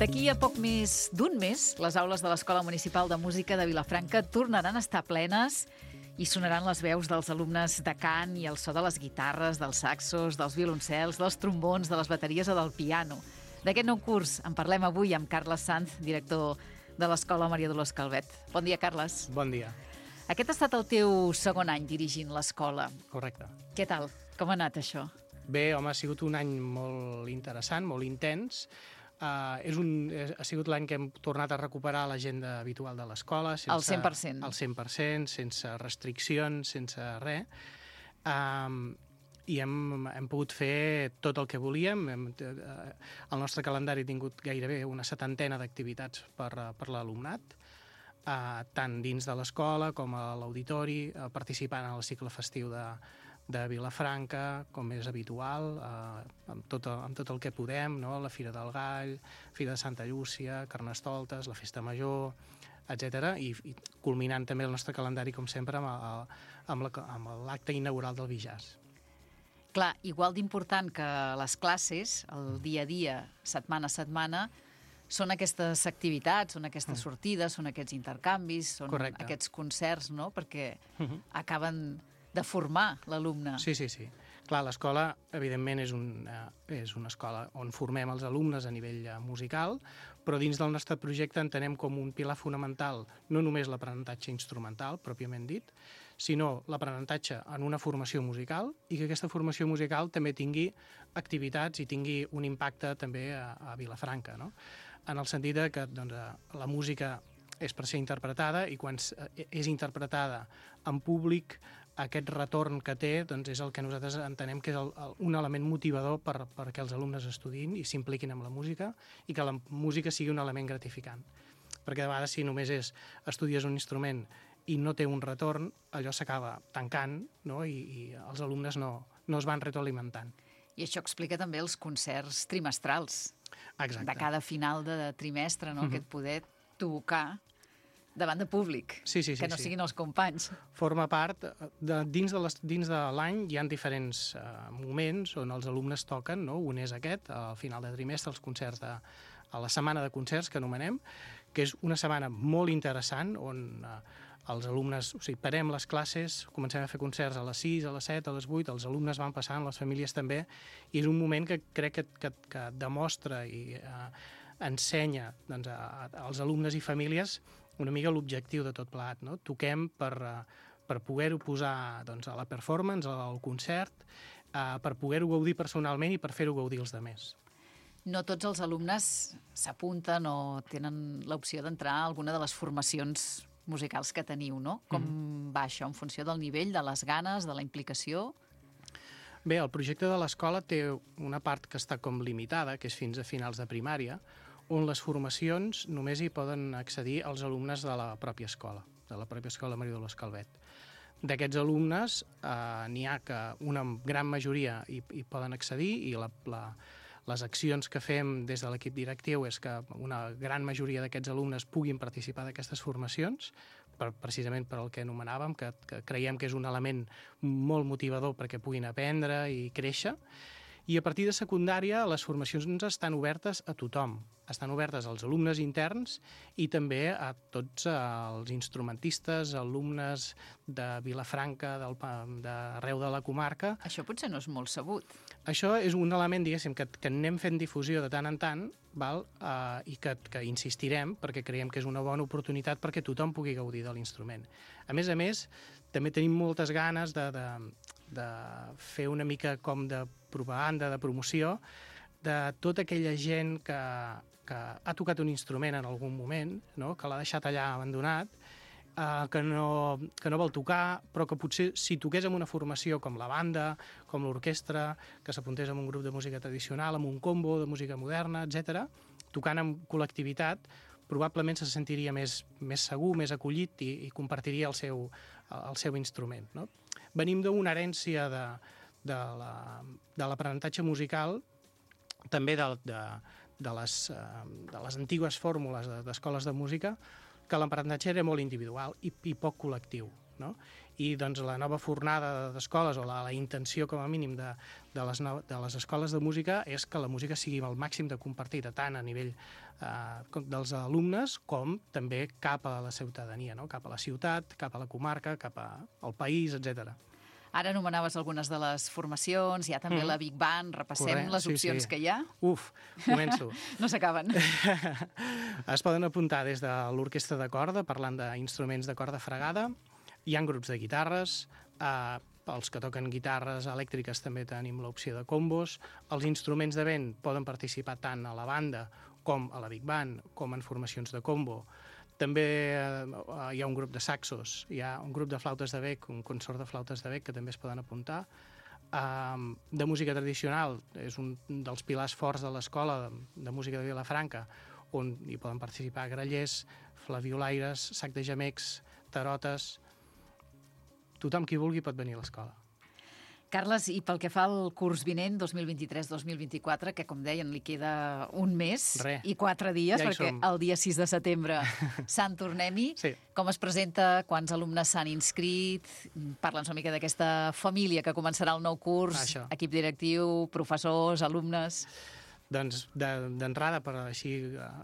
D'aquí a poc més d'un mes, les aules de l'Escola Municipal de Música de Vilafranca tornaran a estar plenes i sonaran les veus dels alumnes de cant i el so de les guitarres, dels saxos, dels violoncels, dels trombons, de les bateries o del piano. D'aquest nou curs en parlem avui amb Carles Sanz, director de l'Escola Maria Dolors Calvet. Bon dia, Carles. Bon dia. Aquest ha estat el teu segon any dirigint l'escola. Correcte. Què tal? Com ha anat això? Bé, home, ha sigut un any molt interessant, molt intens. Ha sigut l'any que hem tornat a recuperar l'agenda habitual de l'escola. Al 100%. Al 100%, sense restriccions, sense res. I hem pogut fer tot el que volíem. El nostre calendari ha tingut gairebé una 70 d'activitats per l'alumnat, tant dins de l'escola com a l'auditori, participant en el cicle festiu de Vilafranca, com és habitual, amb tot el que podem, no? La Fira del Gall, Fira de Santa Llúcia, Carnestoltes, la Festa Major, etc. I culminant també el nostre calendari, com sempre, amb l'acte inaugural del Bijàs. Clar, igual d'important que les classes, el dia a dia, setmana a setmana, són aquestes activitats, són aquestes sortides, són aquests intercanvis, són Correcte. aquests concerts, no? Perquè acaben de formar l'alumne. Sí. Clar, l'escola, evidentment, és una escola on formem els alumnes a nivell musical, però dins del nostre projecte entenem com un pilar fonamental no només l'aprenentatge instrumental, pròpiament dit, sinó l'aprenentatge en una formació musical i que aquesta formació musical també tingui activitats i tingui un impacte també a Vilafranca, no? En el sentit que la música és per ser interpretada i quan és interpretada en públic, aquest retorn que té és el que nosaltres entenem que és un element motivador perquè els alumnes estudiïn i s'impliquin amb la música i que la música sigui un element gratificant. Perquè de vegades si només estudies un instrument i no té un retorn, allò s'acaba tancant, no? I els alumnes no es van retroalimentant. I això explica també els concerts trimestrals. Exacte. De cada final de trimestre, no? Aquest poder tocar davant de públic, sí, que no siguin els companys. Forma part, dins de l'any hi ha diferents moments on els alumnes toquen, no? Un és aquest, al final de trimestre, els concerts a la setmana de concerts, que anomenem, que és una setmana molt interessant, on els alumnes, parem les classes, comencem a fer concerts a les 6, a les 7, a les 8, els alumnes van passant, les famílies també, i és un moment que crec que demostra i ensenya als alumnes i famílies una mica l'objectiu de tot plegat, no? Toquem per poder-ho posar a la performance, al concert, per poder-ho gaudir personalment i per fer-ho gaudir els altres. No tots els alumnes s'apunten o tenen l'opció d'entrar a alguna de les formacions musicals que teniu, no? Com va això, en funció del nivell, de les ganes, de la implicació? Bé, el projecte de l'escola té una part que està com limitada, que és fins a finals de primària, on les formacions només hi poden accedir els alumnes de la pròpia escola, de la pròpia escola Maria Dolors Calvet. D'aquests alumnes n'hi ha que una gran majoria hi poden accedir i les accions que fem des de l'equip directiu és que una gran majoria d'aquests alumnes puguin participar d'aquestes formacions, precisament per el que anomenàvem, que creiem que és un element molt motivador perquè puguin aprendre i créixer. I a partir de secundària les formacions estan obertes a tothom. Estan obertes als alumnes interns i també a tots els instrumentistes, alumnes de Vilafranca, d'arreu de la comarca. Això potser no és molt sabut. Això és un element, diguéssim, que anem fent difusió de tant en tant, i que insistirem perquè creiem que és una bona oportunitat perquè tothom pugui gaudir de l'instrument. A més, també tenim moltes ganes de fer una mica com de propaganda, de promoció, de tota aquella gent que ha tocat un instrument en algun moment, no? Que l'ha deixat allà abandonat, que no vol tocar, però que potser si toqués en una formació com la banda, com l'orquestra, que s'apuntés en un grup de música tradicional, en un combo de música moderna, etc., tocant en col·lectivitat, probablement se sentiria més segur, més acollit i compartiria el seu instrument, no? Venim d'una herència de l'aprenentatge musical, també de les antigues fórmules d'escoles de música, que l'aprenentatge era molt individual i poc col·lectiu, no? I doncs, la nova fornada d'escoles, o la intenció com a mínim de les escoles de música, és que la música sigui el màxim de compartida, tant a nivell dels alumnes com també cap a la ciutadania, no? Cap a la ciutat, cap a la comarca, cap al país, etc. Ara anomenaves algunes de les formacions, hi ha també la Big Band, repassem les opcions que hi ha. Començo. No s'acaben. Es poden apuntar des de l'orquestra de corda, parlant d'instruments de corda fregada, hi ha grups de guitarres, els que toquen guitarres elèctriques també tenim l'opció de combos, els instruments de vent poden participar tant a la banda com a la Big Band, com en formacions de combo. També hi ha un grup de saxos, hi ha un grup de flautes de bec, un consort de flautes de bec que també es poden apuntar. De música tradicional, és un dels pilars forts de l'escola de música de Vilafranca, on hi poden participar grallers, flaviolaires, sac de gemecs, tarotes. Tothom qui vulgui pot venir a l'escola. Carles, i pel que fa al curs vinent, 2023-2024, que, com deien, li queda un mes i 4 dies, perquè el dia 6 de setembre Sant Tornem-hi. Com es presenta? Quants alumnes s'han inscrit? Parla'ns una mica d'aquesta família que començarà el nou curs, equip directiu, professors, alumnes... Doncs, d'entrada, per així,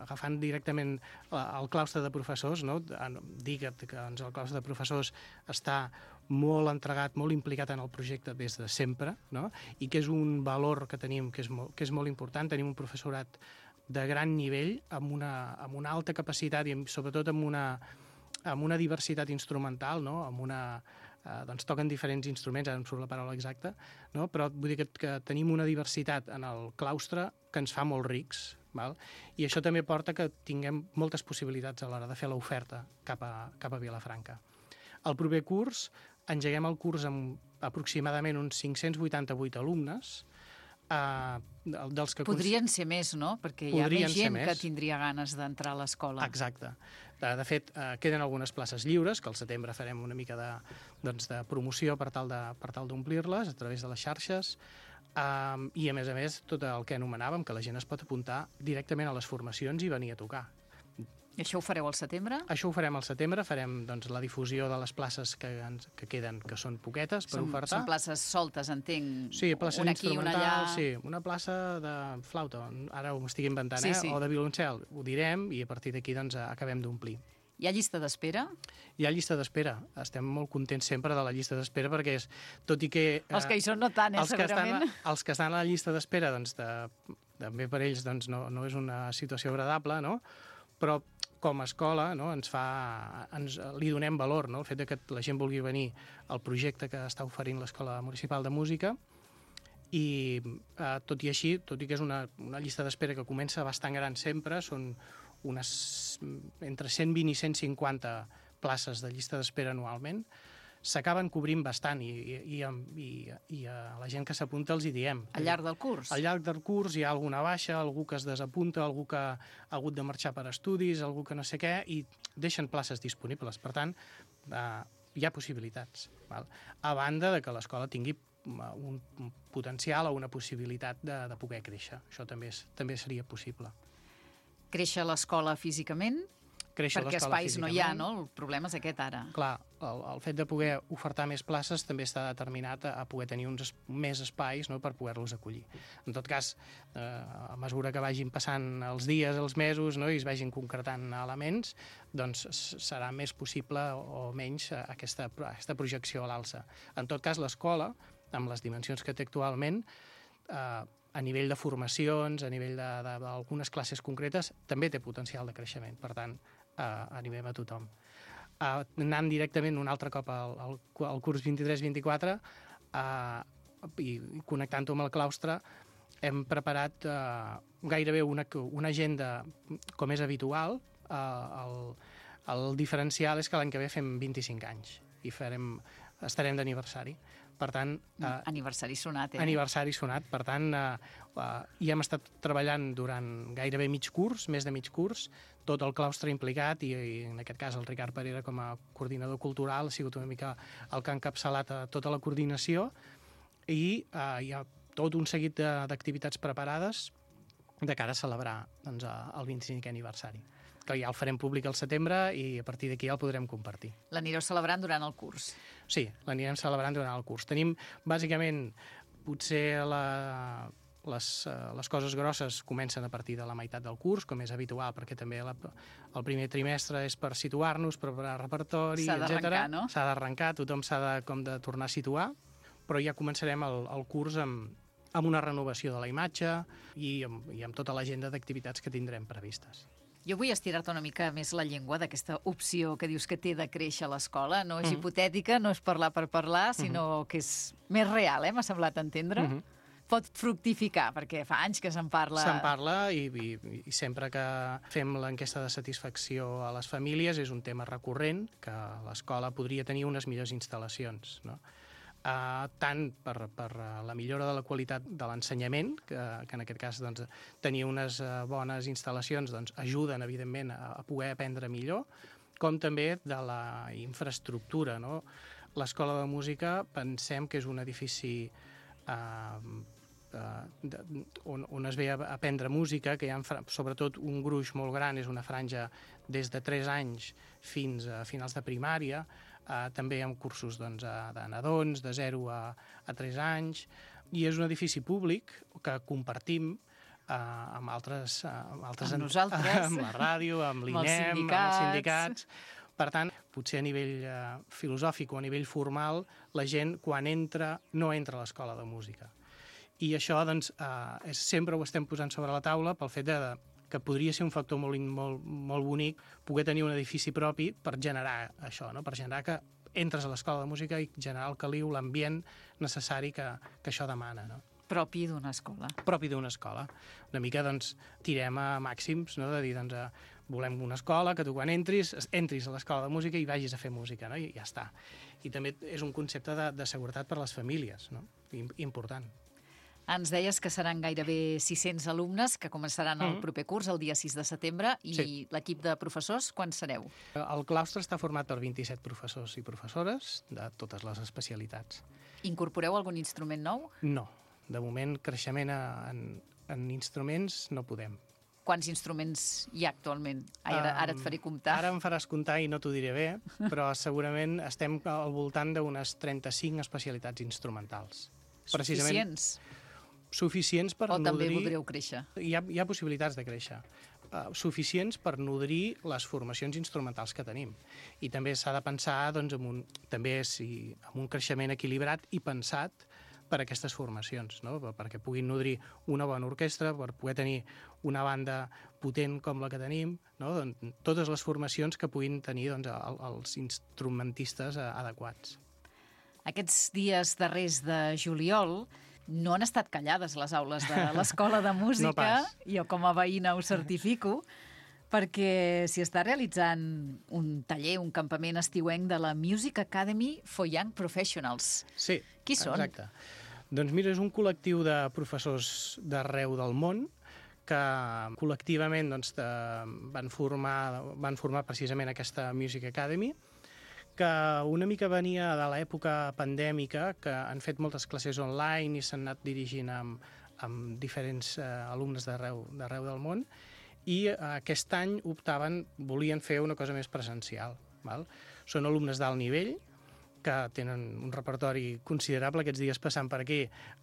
agafant directament el claustre de professors, no? Dir que el claustre de professors està molt entregat, molt implicat en el projecte des de sempre, no? I que és un valor que tenim que és molt important. Tenim un professorat de gran nivell, amb una alta capacitat i sobretot amb una diversitat instrumental, no? Doncs toquen diferents instruments, ara em surt la paraula exacta, no? Però vull dir que tenim una diversitat en el claustre que ens fa molt rics, val? I això també porta que tinguem moltes possibilitats a l'hora de fer l'oferta cap a Vilafranca. El proper curs engeguem el curs amb aproximadament uns 588 alumnes, dels que... Podrien ser més, no? Perquè hi ha més gent que tindria ganes d'entrar a l'escola. Exacte. De fet, queden algunes places lliures, que al setembre farem una mica de promoció per tal d'omplir-les a través de les xarxes, i a més, tot el que anomenàvem, que la gent es pot apuntar directament a les formacions i venir a tocar. I això ho fareu al setembre? Això ho farem al setembre, farem la difusió de les places que queden, que són poquetes per ofertar. Són places soltes, entenc? Sí, plaça instrumental, una allà... sí, una plaça de flauta, ara ho estic inventant, o de violoncel, ho direm, i a partir d'aquí acabem d'omplir. Hi ha llista d'espera? Hi ha llista d'espera. Estem molt contents sempre de la llista d'espera perquè és, tot i que... Els que hi són no tant, segurament. Els que estan a la llista d'espera, també per ells no és una situació agradable, no? Però com a escola li donem valor, no? El fet que la gent vulgui venir al projecte que està oferint l'Escola Municipal de Música, i tot i així, tot i que és una llista d'espera que comença bastant gran sempre, són entre 120 i 150 places de llista d'espera anualment, s'acaben cobrint bastant i a la gent que s'apunta els hi diem. Al llarg del curs? Al llarg del curs hi ha alguna baixa, algú que es desapunta, algú que ha hagut de marxar per estudis, algú que no sé què, i deixen places disponibles. Per tant, hi ha possibilitats. Val? A banda de que l'escola tingui un potencial o una possibilitat de poder créixer. Això també seria possible. Créixer l'escola físicament? Perquè espais no hi ha, no? El problema és aquest ara. Clar, el fet de poder ofertar més places també està determinat a poder tenir més espais, no?, per poder-los acollir. En tot cas, a mesura que vagin passant els dies, els mesos, no?, i es vagin concretant elements, doncs serà més possible o menys aquesta projecció a l'alça. En tot cas, l'escola, amb les dimensions que té actualment, a nivell de formacions, a nivell d'algunes classes concretes, també té potencial de creixement. Per tant, animem a tothom. Anant directament un altre cop al curs 23-24 i connectant-ho amb el claustre, hem preparat gairebé una agenda com és habitual. El diferencial és que l'any que ve fem 25 anys i estarem d'aniversari. Per tant... Aniversari sonat, Aniversari sonat. Per tant, hi hem estat treballant durant gairebé mig curs, més de mig curs, tot el claustre implicat, i en aquest cas el Ricard Parera com a coordinador cultural ha sigut una mica el que ha encapçalat tota la coordinació, i hi ha tot un seguit d'activitats preparades de cara a celebrar el 25è aniversari. que ja el farem públic al setembre i a partir d'aquí ja el podrem compartir. L'anireu celebrant durant el curs. Sí, l'anirem celebrant durant el curs. Tenim, bàsicament, potser les coses grosses comencen a partir de la meitat del curs, com és habitual, perquè també el primer trimestre és per situar-nos, preparar repertori, etc. S'ha d'arrencar, no? S'ha d'arrencar, tothom s'ha de tornar a situar, però ja començarem el curs amb una renovació de la imatge i amb tota l'agenda d'activitats que tindrem previstes. Jo vull estirar-te una mica més la llengua d'aquesta opció que dius que té de créixer a l'escola. No és hipotètica, no és parlar per parlar, sinó que és més real, m'ha semblat entendre. Pot fructificar, perquè fa anys que se'n parla. Se'n parla i sempre que fem l'enquesta de satisfacció a les famílies és un tema recurrent, que l'escola podria tenir unes millors instal·lacions, no? Tant per la millora de la qualitat de l'ensenyament, que en aquest cas doncs, tenir unes bones instal·lacions doncs, ajuden, evidentment, a poder aprendre millor, com també de la infraestructura, no? L'escola de música pensem que és un edifici on es ve a aprendre música, que hi ha sobretot un gruix molt gran, és una franja des de 3 anys fins a finals de primària, també hi ha cursos de nadons de 0 a 3 anys, i és un edifici públic que compartim amb altres amb nosaltres, amb la ràdio, amb l'INEM, amb els sindicats. Per tant, potser a nivell filosòfic o a nivell formal, la gent quan entra no entra a l'escola de música. I això doncs, sempre ho estem posant sobre la taula pel fet que podria ser un factor molt bonic poder tenir un edifici propi per generar això, no? Per generar que entres a l'escola de música i generar el caliu, l'ambient necessari que això demana, no? Propi d'una escola. Propi d'una escola. Una mica, doncs, tirem a màxims, no? De dir, doncs, volem una escola que tu quan entris a l'escola de música i vagis a fer música, no? I ja està. I també és un concepte de seguretat per a les famílies, no? Important. Ens deies que seran gairebé 600 alumnes que començaran el proper curs, el dia 6 de setembre, i l'equip de professors, quan sereu? El claustre està format per 27 professors i professores de totes les especialitats. Incorporeu algun instrument nou? No. De moment, creixement en instruments no podem. Quants instruments hi ha actualment? Ara et faré comptar. Ara em faràs comptar i no t'ho diré bé, però segurament estem al voltant d'unes 35 especialitats instrumentals. Suficients? Suficients per nodrir... O també voldreu créixer? Hi ha possibilitats de créixer. Suficients per nodrir les formacions instrumentals que tenim. I també s'ha de pensar doncs, amb un creixement equilibrat i pensat per a aquestes formacions, no? Perquè puguin nodrir una bona orquestra, per poder tenir una banda potent com la que tenim, no? Doncs, totes les formacions que puguin tenir doncs, els instrumentistes adequats. Aquests dies darrers de juliol no han estat callades les aules de l'Escola de Música, No pas. Jo com a veïna ho certifico, perquè s'hi està realitzant un taller, un campament estiuenc de la Music Academy for Young Professionals. Sí, Qui són? Exacte. Doncs mira, és un col·lectiu de professors d'arreu del món que col·lectivament doncs, van formar precisament aquesta Music Academy, que una mica venia de l'època pandèmica, que han fet moltes classes online i s'han anat dirigint amb diferents alumnes d'arreu del món, i aquest any volien fer una cosa més presencial. Val? Són alumnes d'alt nivell, que tenen un repertori considerable. Aquests dies passant per aquí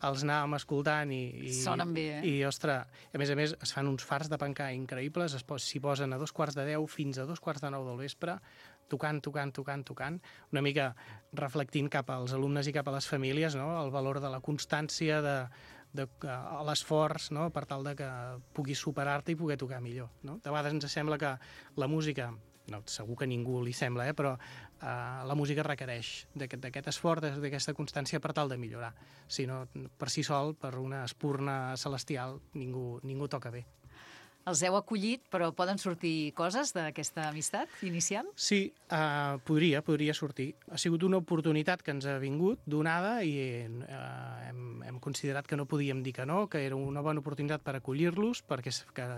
els anàvem escoltant i sonen bé, I, ostres, a més es fan uns fars de pencar increïbles, s'hi posen a 2:45 fins a 2:45 del vespre, tocant, una mica reflectint cap als alumnes i cap a les famílies, no? El valor de la constància, de l'esforç, no? Per tal de que puguis superar-te i poder tocar millor. No? De vegades ens sembla que la música, no, segur que a ningú li sembla, però la música requereix d'aquest esforç, d'aquesta constància per tal de millorar. Si no, per si sol, per una espurna celestial, ningú toca bé. Els heu acollit, però poden sortir coses d'aquesta amistat inicial? Sí, podria sortir. Ha sigut una oportunitat que ens ha vingut donada i hem considerat que no podíem dir que no, que era una bona oportunitat per acollir-los, perquè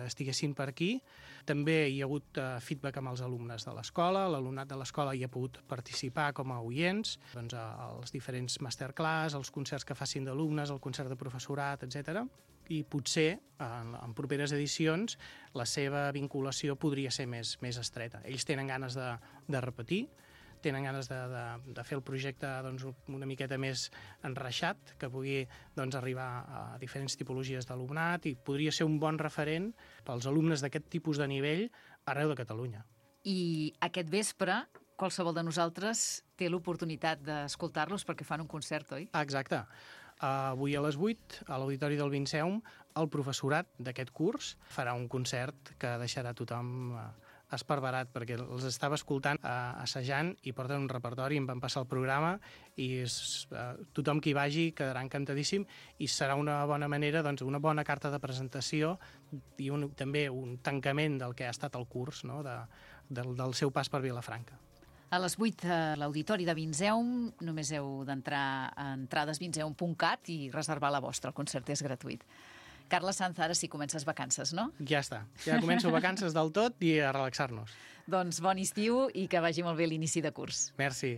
estiguessin per aquí. També hi ha hagut feedback amb els alumnes de l'escola, l'alumnat de l'escola hi ha pogut participar com a oients, doncs, als diferents masterclass, els concerts que facin d'alumnes, el concert de professorat, etc. i potser en properes edicions la seva vinculació podria ser més estreta. Ells tenen ganes de repetir, tenen ganes de fer el projecte doncs, una miqueta més enreixat, que pugui doncs, arribar a diferents tipologies d'alumnat i podria ser un bon referent pels alumnes d'aquest tipus de nivell arreu de Catalunya. I aquest vespre qualsevol de nosaltres té l'oportunitat d'escoltar-los perquè fan un concert, oi? Exacte. Avui a les 8, a l'Auditori del Vinceum, el professorat d'aquest curs farà un concert que deixarà tothom esparverat, perquè els estava escoltant assajant i porten un repertori, em van passar el programa i tothom que hi vagi quedarà encantadíssim i serà una bona manera, doncs, una bona carta de presentació i també un tancament del que ha estat el curs, no? del seu pas per Vilafranca. A les 8 a l'Auditori de Vinceum només heu d'entrar a entradesvinceum.cat i reservar la vostra. El concert és gratuït. Carles Sanz, ara sí comences vacances, no? Ja està. Ja començo vacances del tot i a relaxar-nos. Doncs bon estiu i que vagi molt bé l'inici de curs. Merci.